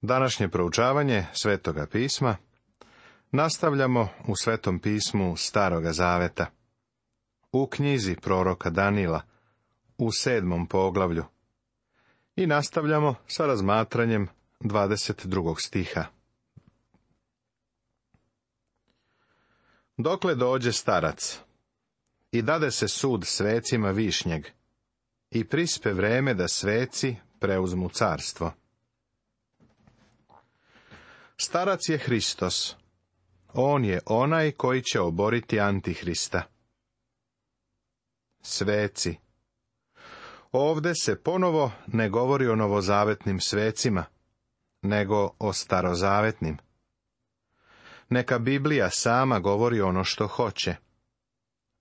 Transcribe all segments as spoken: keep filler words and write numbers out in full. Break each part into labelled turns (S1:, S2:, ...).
S1: Današnje proučavanje Svetoga pisma nastavljamo u Svetom pismu Staroga zaveta, u knjizi proroka Danila, u sedmom poglavlju, i nastavljamo sa razmatranjem dvadeset drugog stiha. Dokle dođe starac, i dade se sud svecima višnjeg, i prispe vreme da sveci preuzmu carstvo. Starac je Hristos. On je onaj koji će oboriti Antihrista. Sveci. Ovde se ponovo ne govori o novozavetnim svecima, nego o starozavetnim. Neka Biblija sama govori ono što hoće.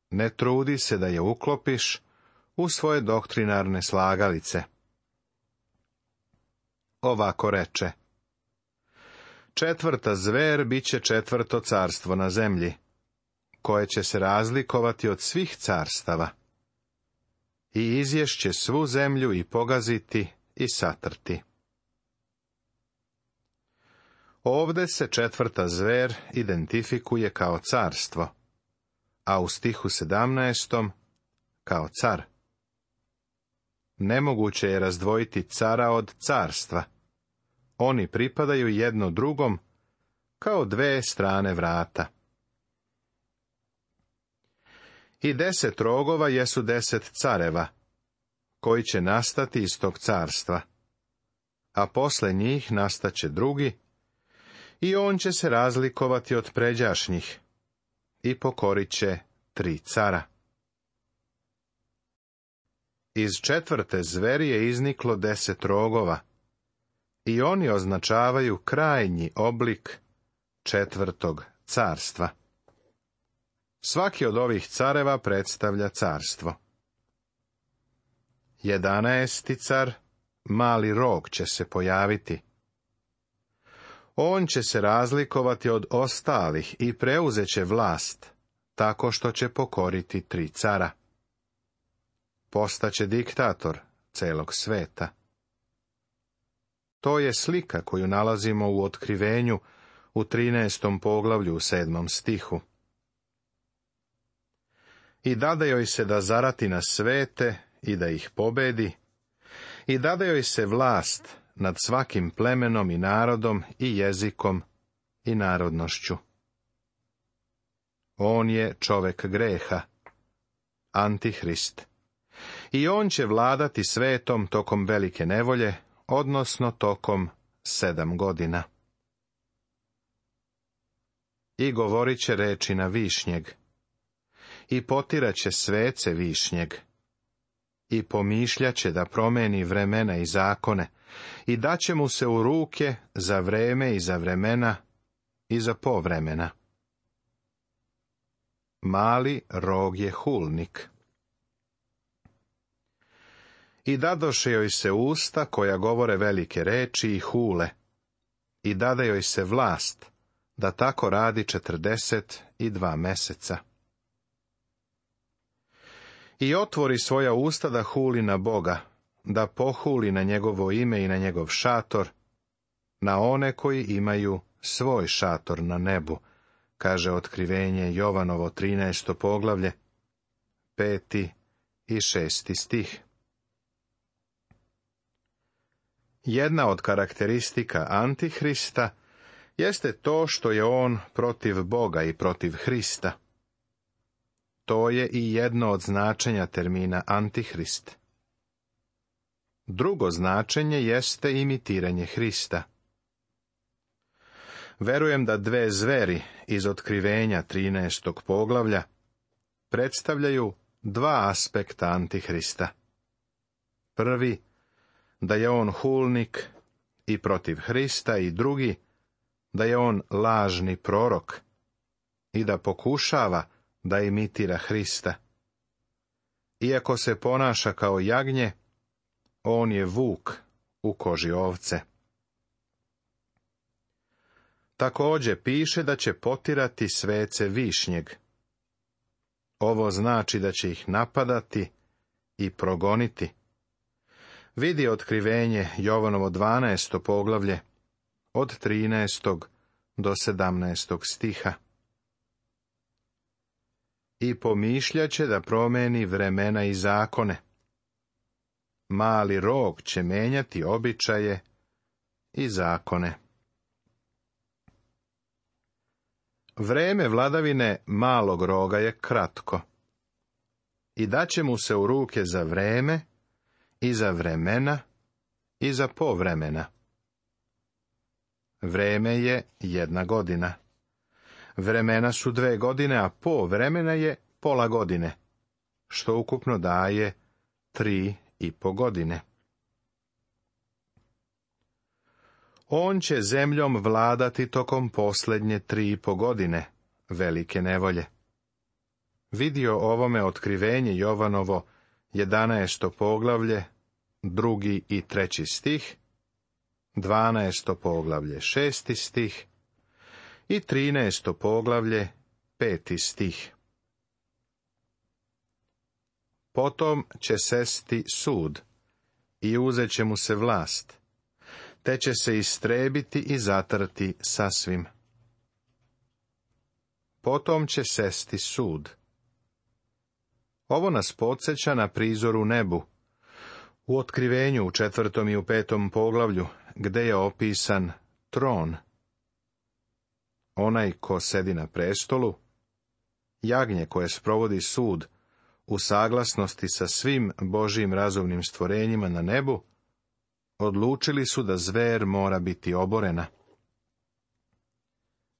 S1: Ne trudi se da je uklopiš u svoje doktrinarne slagalice. Ovako reče: četvrta zver bit će četvrto carstvo na zemlji, koje će se razlikovati od svih carstava, i izješće svu zemlju i pogaziti i satrti. Ovde se četvrta zver identifikuje kao carstvo, a u stihu sedamnaestom kao car. Nemoguće je razdvojiti cara od carstva. Oni pripadaju jedno drugom kao dve strane vrata. I deset rogova jesu deset careva, koji će nastati iz tog carstva, a posle njih nastaće drugi, i on će se razlikovati od pređašnjih, i pokorit će tri cara. Iz četvrte zveri je izniklo deset rogova, i oni označavaju krajnji oblik četvrtog carstva. Svaki od ovih careva predstavlja carstvo. Jedanaesti car, mali rog, će se pojaviti. On će se razlikovati od ostalih i preuzet će vlast, tako što će pokoriti tri cara. Postaće diktator celog sveta. To je slika koju nalazimo u Otkrivenju u trinaestom poglavlju u sedmom stihu. I dade joj se da zarati na svete i da ih pobedi, i dade joj se vlast nad svakim plemenom i narodom i jezikom i narodnošću. On je čovek greha, Antihrist, i on će vladati svetom tokom velike nevolje, odnosno tokom sedam godina. I govorit će reči na višnjeg, i potiraće svece višnjeg, i pomišljaće da promeni vremena i zakone, i daće mu se u ruke za vreme i za vremena i za povremena. Mali rog je hulnik. I dadoše joj se usta koja govore velike reči i hule, i dade joj se vlast da tako radi četrdeset i dva meseca. I otvori svoja usta da huli na Boga, da pohuli na njegovo ime i na njegov šator, na one koji imaju svoj šator na nebu, kaže Otkrivenje Jovanovo trinaesto poglavlje, peti i šesti stih. Jedna od karakteristika Antihrista jeste to što je on protiv Boga i protiv Hrista. To je i jedno od značenja termina Antihrist. Drugo značenje jeste imitiranje Hrista. Verujem da dve zveri iz Otkrivenja trinaestog poglavlja predstavljaju dva aspekta Antihrista. Prvi, da je on hulnik i protiv Hrista, i drugi, da je on lažni prorok i da pokušava da imitira Hrista. Iako se ponaša kao jagnje, on je vuk u koži ovce. Također piše da će potirati svece višnjeg. Ovo znači da će ih napadati i progoniti. Vidi Otkrivenje Jovanovo dvanaesto poglavlje, od trinaestog do sedamnaestog stiha. I pomišljaće da promeni vremena i zakone. Mali rog će menjati običaje i zakone. Vreme vladavine malog roga je kratko. I daće mu se u ruke za vreme, i za vremena, i za povremena. Vreme je jedna godina. Vremena su dve godine, a po vremena je pola godine, što ukupno daje tri i po godine. On će zemljom vladati tokom posljednje tri i po godine, velike nevolje. Vidio ovome otkrivenje Jovanovo, jedanaesto poglavlje, drugi i treći stih, dvanaesto poglavlje, šesti stih i trinaesto poglavlje, peti stih. Potom će sesti sud i uzet će mu se vlast, te će se istrebiti i zatrti sasvim. Potom će sesti sud. Ovo nas podsjeća na prizor u nebu, u otkrivenju u četvrtom i u petom poglavlju, gde je opisan tron. Onaj ko sedi na prestolu, jagnje koje sprovodi sud u saglasnosti sa svim Božjim razumnim stvorenjima na nebu, odlučili su da zver mora biti oborena.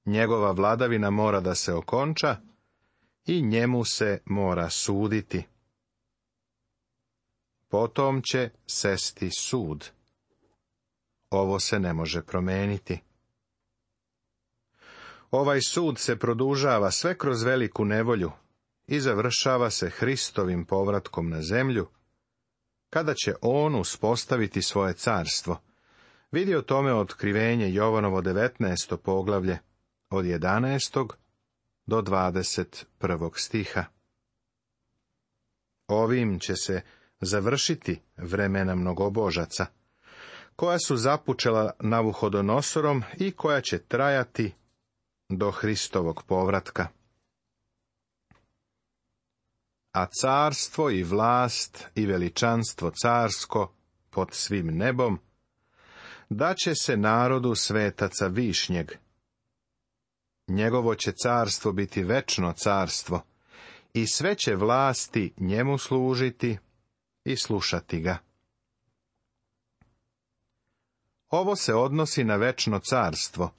S1: Njegova vladavina mora da se okonča i njemu se mora suditi. Potom će sesti sud. Ovo se ne može promeniti. Ovaj sud se produžava sve kroz veliku nevolju i završava se Hristovim povratkom na zemlju, kada će on uspostaviti svoje carstvo. Vidi o tome otkrivenje Jovanovo devetnaesto poglavlje, od jedanaestog do dvadeset prvog stiha. Ovim će se završiti vremena mnogobožaca, koja su započela Navuhodonosorom i koja će trajati do Hristovog povratka. A carstvo i vlast i veličanstvo carsko pod svim nebom daće se narodu svetaca višnjeg. Njegovo će carstvo biti večno carstvo i sve će vlasti njemu služiti i slušati ga. Ovo se odnosi na večno carstvo,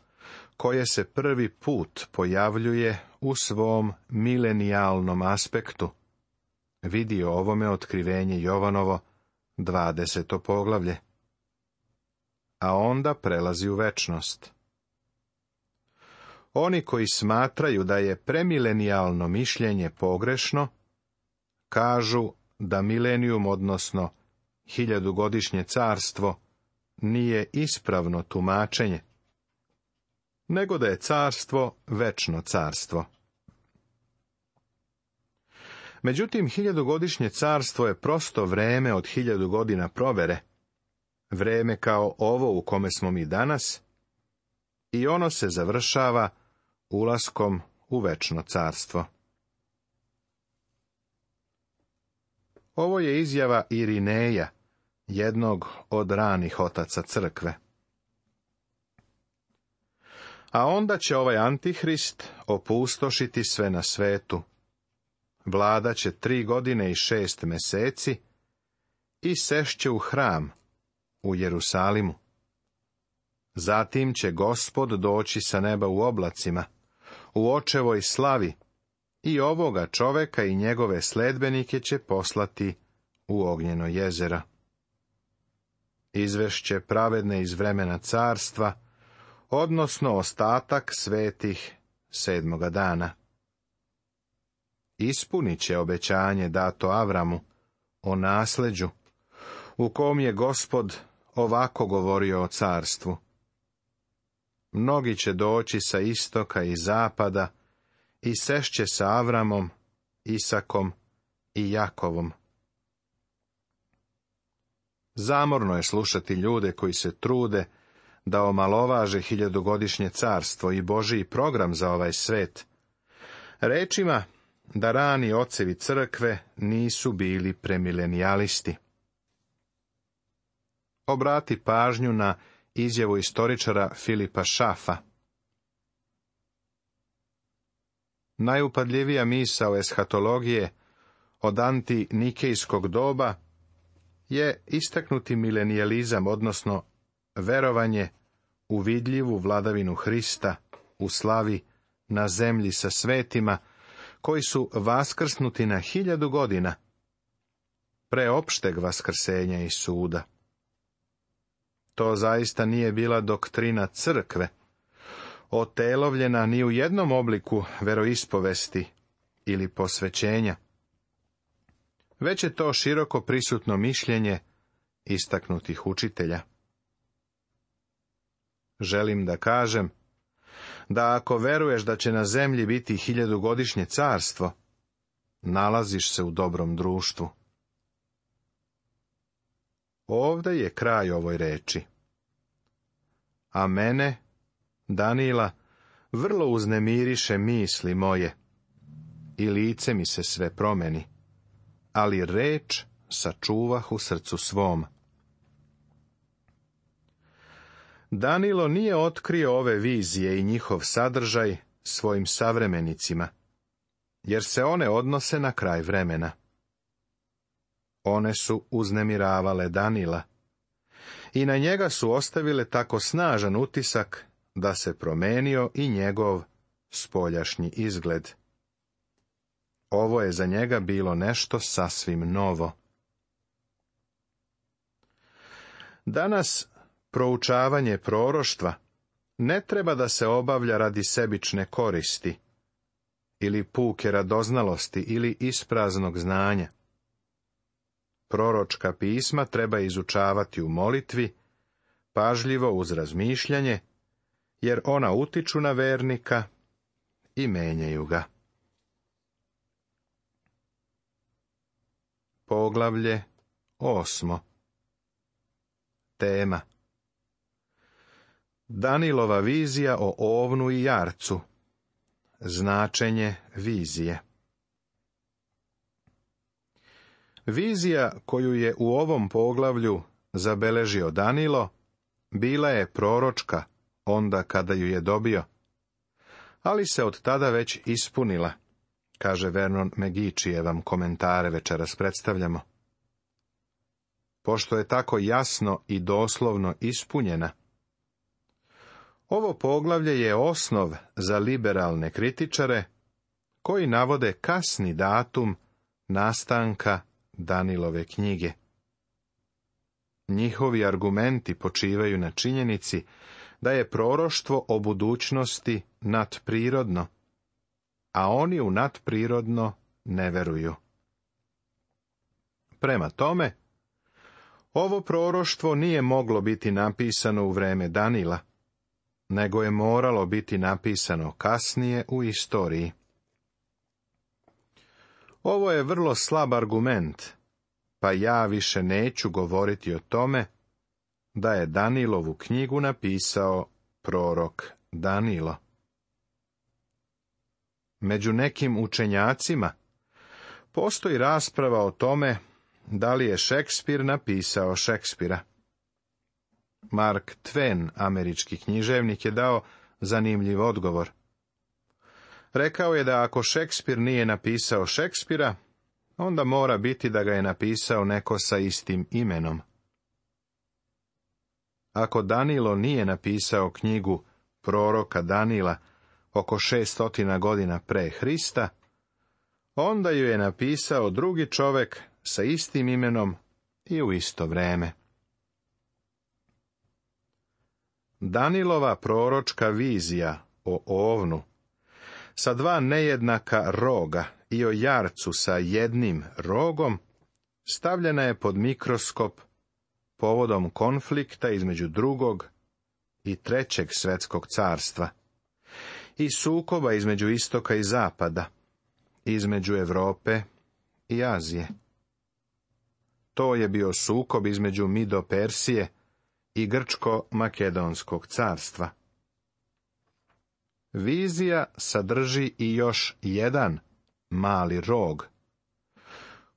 S1: koje se prvi put pojavljuje u svom milenijalnom aspektu. Vidi o ovome otkrivenje Jovanovo, dvadeseto poglavlje. A onda prelazi u večnost. Oni koji smatraju da je premilenijalno mišljenje pogrešno, kažu da milenijum, odnosno hiljadugodišnje carstvo, nije ispravno tumačenje, nego da je carstvo večno carstvo. Međutim, hiljadugodišnje carstvo je prosto vreme od hiljadu godina provere, vreme kao ovo u kome smo mi danas, i ono se završava ulaskom u večno carstvo. Ovo je izjava Irineja, jednog od ranih otaca crkve. A onda će ovaj Antihrist opustošiti sve na svetu. Vlada će tri godine i šest meseci i sešće u hram u Jerusalimu. Zatim će Gospod doći sa neba u oblacima, u očevoj slavi, i ovoga čoveka i njegove sledbenike će poslati u ognjeno jezero. Izvešće pravedne iz vremena carstva, odnosno ostatak svetih sedmoga dana. Ispunit će obećanje dato Avramu o nasleđu, u kom je Gospod ovako govorio o carstvu. Mnogi će doći sa istoka i zapada i sešće sa Avramom, Isakom i Jakovom. Zamorno je slušati ljude koji se trude da omalovaže hiljadugodišnje carstvo i Božji program za ovaj svet, rečima da rani ocevi crkve nisu bili premilenijalisti. Obrati pažnju na izjavu istoričara Filipa Šafa. Najupadljivija misao eshatologije od antinikejskog doba je istaknuti milenijalizam, odnosno verovanje u vidljivu vladavinu Hrista u slavi na zemlji sa svetima, koji su vaskrsnuti na hiljadu godina, pre opšteg vaskrsenja i suda. To zaista nije bila doktrina crkve, otelovljena ni u jednom obliku veroispovesti ili posvećenja, već je to široko prisutno mišljenje istaknutih učitelja. Želim da kažem da ako veruješ da će na zemlji biti hiljadugodišnje carstvo, nalaziš se u dobrom društvu. Ovde je kraj ovoj reči. A mene, Danila, vrlo uznemiriše misli moje i lice mi se sve promeni, ali reč sačuvah u srcu svom. Danilo nije otkrio ove vizije i njihov sadržaj svojim savremenicima, jer se one odnose na kraj vremena. One su uznemiravale Danila i na njega su ostavile tako snažan utisak da se promenio i njegov spoljašnji izgled. Ovo je za njega bilo nešto sasvim novo. Danas proučavanje proroštva ne treba da se obavlja radi sebične koristi, ili puke radoznalosti, ili ispraznog znanja. Proročka pisma treba izučavati u molitvi, pažljivo uz razmišljanje, jer ona utiču na vernika i menjaju ga. Poglavlje osmo. Tema: Danilova vizija o ovnu i jarcu. Značenje vizije. Vizija koju je u ovom poglavlju zabeležio Danilo bila je proročka onda kada ju je dobio, ali se od tada već ispunila, kaže Vernon McGee, čije vam komentare večeras predstavljamo. Pošto je tako jasno i doslovno ispunjena, ovo poglavlje je osnov za liberalne kritičare koji navode kasni datum nastanka Danilove knjige. Njihovi argumenti počivaju na činjenici da je proroštvo o budućnosti nadprirodno, a oni u nadprirodno ne veruju. Prema tome, ovo proroštvo nije moglo biti napisano u vreme Danila, nego je moralo biti napisano kasnije u istoriji. Ovo je vrlo slab argument, pa ja više neću govoriti o tome da je Danilovu knjigu napisao prorok Danilo. Među nekim učenjacima postoji rasprava o tome da li je Šekspir napisao Šekspira. Mark Twain, američki književnik, je dao zanimljiv odgovor. Rekao je da ako Šekspir nije napisao Šekspira, onda mora biti da ga je napisao neko sa istim imenom. Ako Danilo nije napisao knjigu proroka Danila oko šeststotina godina pre Hrista, onda ju je napisao drugi čovek sa istim imenom i u isto vreme. Danilova proročka vizija o ovnu sa dva nejednaka roga i o jarcu sa jednim rogom stavljena je pod mikroskop povodom konflikta između drugog i trećeg svetskog carstva i sukoba između istoka i zapada, između Evrope i Azije. To je bio sukob između Mido Persije i Grčko-Makedonskog carstva. Vizija sadrži i još jedan mali rog,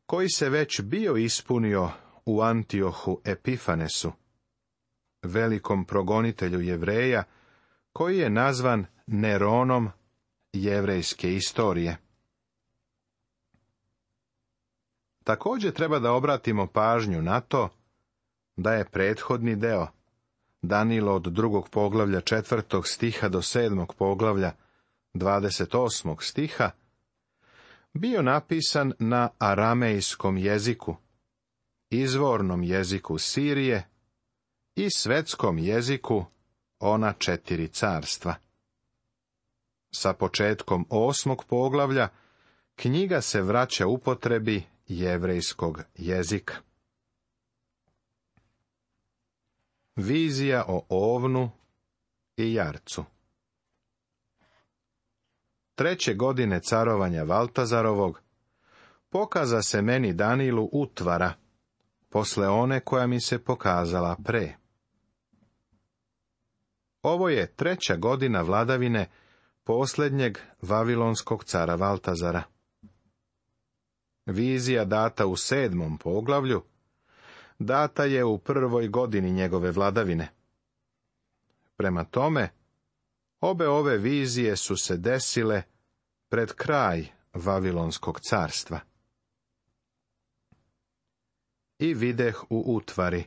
S1: koji se već bio ispunio u Antiohu Epifanesu, velikom progonitelju Jevreja, koji je nazvan Neronom jevrejske istorije. Također treba da obratimo pažnju na to da je prethodni deo, Danilo od drugog poglavlja četvrtog stiha do sedmog poglavlja dvadeset osmog stiha, bio napisan na aramejskom jeziku, izvornom jeziku Sirije i svetskom jeziku ona četiri carstva. Sa početkom osmog poglavlja knjiga se vraća upotrebi jevrejskog jezika. Vizija o ovnu i jarcu. Treće godine carovanja Valtazarovog pokaza se meni Danilu utvara, posle one koja mi se pokazala pre. Ovo je treća godina vladavine posljednjeg vavilonskog cara Valtazara. Vizija data u sedmom poglavlju data je u prvoj godini njegove vladavine. Prema tome, obe ove vizije su se desile pred kraj Vavilonskog carstva. I videh u utvari.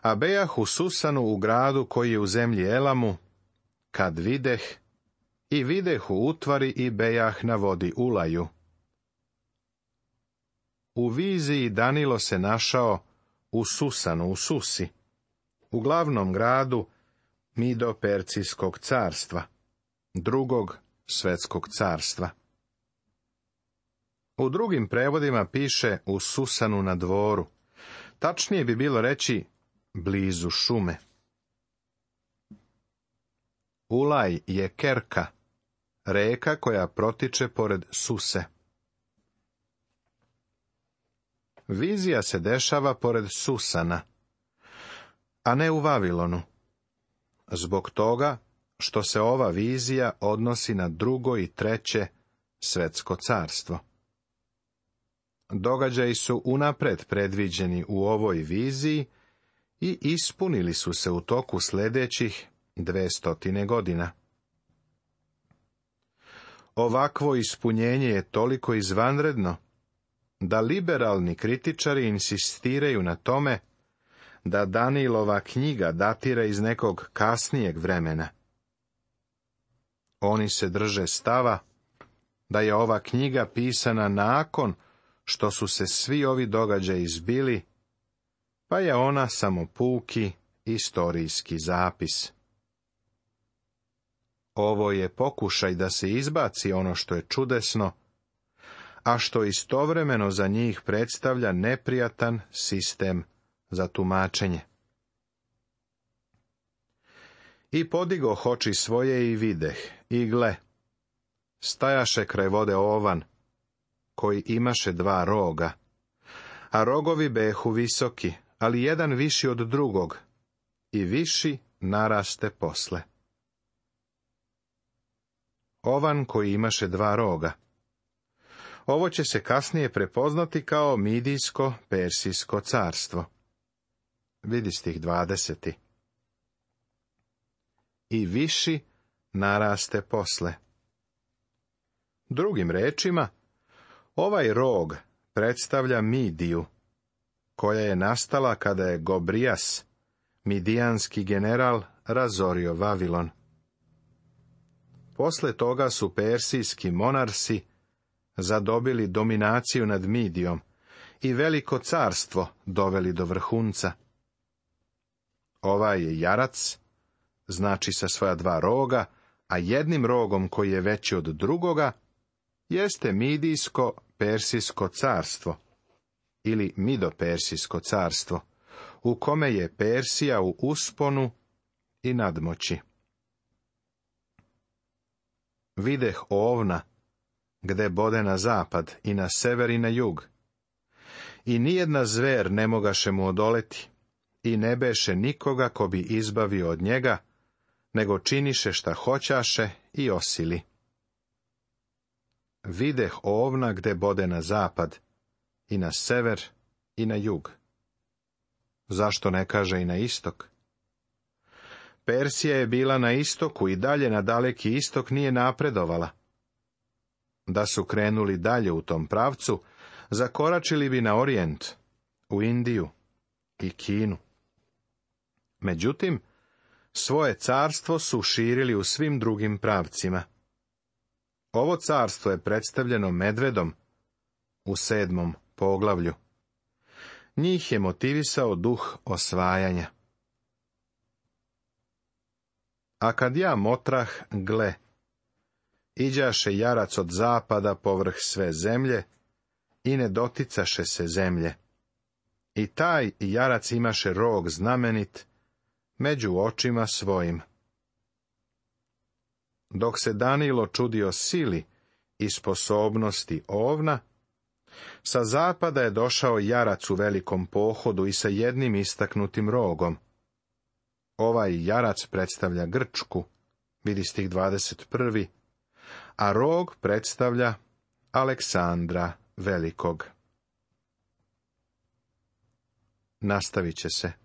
S1: A bejah u Susanu u gradu koji je u zemlji Elamu, kad videh, i videh u utvari i bejah na vodi Ulaju. U viziji Danilo se našao u Susanu u Susi, u glavnom gradu Mido-Percijskog carstva, drugog svetskog carstva. U drugim prevodima piše u Susanu na dvoru, tačnije bi bilo reći blizu šume. Ulaj je Kerka, reka koja protiče pored Suse. Vizija se dešava pored Susana, a ne u Vavilonu, zbog toga što se ova vizija odnosi na drugo i treće svetsko carstvo. Događaji su unapred predviđeni u ovoj viziji i ispunili su se u toku sljedećih dvestotine godina. Ovakvo ispunjenje je toliko izvanredno da liberalni kritičari insistiraju na tome da Danilova knjiga datira iz nekog kasnijeg vremena. Oni se drže stava da je ova knjiga pisana nakon što su se svi ovi događaji zbili, pa je ona samo puki istorijski zapis. Ovo je pokušaj da se izbaci ono što je čudesno, a što istovremeno za njih predstavlja neprijatan sistem za tumačenje. I podigoh oči svoje i videh, i gle, stajaše kraj vode ovan, koji imaše dva roga, a rogovi behu visoki, ali jedan viši od drugog, i viši naraste posle. Ovan koji imaše dva roga. Ovo će se kasnije prepoznati kao Midijsko-Persijsko carstvo. Vidi stih dvadeseti. I viši naraste posle. Drugim rečima, ovaj rog predstavlja Midiju, koja je nastala kada je Gobrijas, midijanski general, razorio Vavilon. Posle toga su persijski monarsi zadobili dominaciju nad Midijom i veliko carstvo doveli do vrhunca. Ovaj je jarac, znači sa svoja dva roga, a jednim rogom koji je veći od drugoga, jeste Midijsko-Persijsko carstvo, ili Mido-Persijsko carstvo, u kome je Persija u usponu i nadmoći. Videh ovna, gde bode na zapad i na sever i na jug. I nijedna zver ne mogaše mu odoleti, i ne beše nikoga ko bi izbavio od njega, nego činiše šta hoćaše i osili. Videh ovna gde bode na zapad, i na sever, i na jug. Zašto ne kaže i na istok? Persija je bila na istoku i dalje na daleki istok nije napredovala. Da su krenuli dalje u tom pravcu, zakoračili bi na orijent, u Indiju i Kinu. Međutim, svoje carstvo su širili u svim drugim pravcima. Ovo carstvo je predstavljeno medvedom u sedmom poglavlju. Njih je motivisao duh osvajanja. A kad ja motrah, gle, iđaše jarac od zapada povrh sve zemlje i ne doticaše se zemlje. I taj jarac imaše rog znamenit među očima svojim. Dok se Danilo čudio sili i sposobnosti ovna, sa zapada je došao jarac u velikom pohodu i sa jednim istaknutim rogom. Ovaj jarac predstavlja Grčku, vidi stih dvadeset prvi, a rog predstavlja Aleksandra Velikog. Nastavit će se.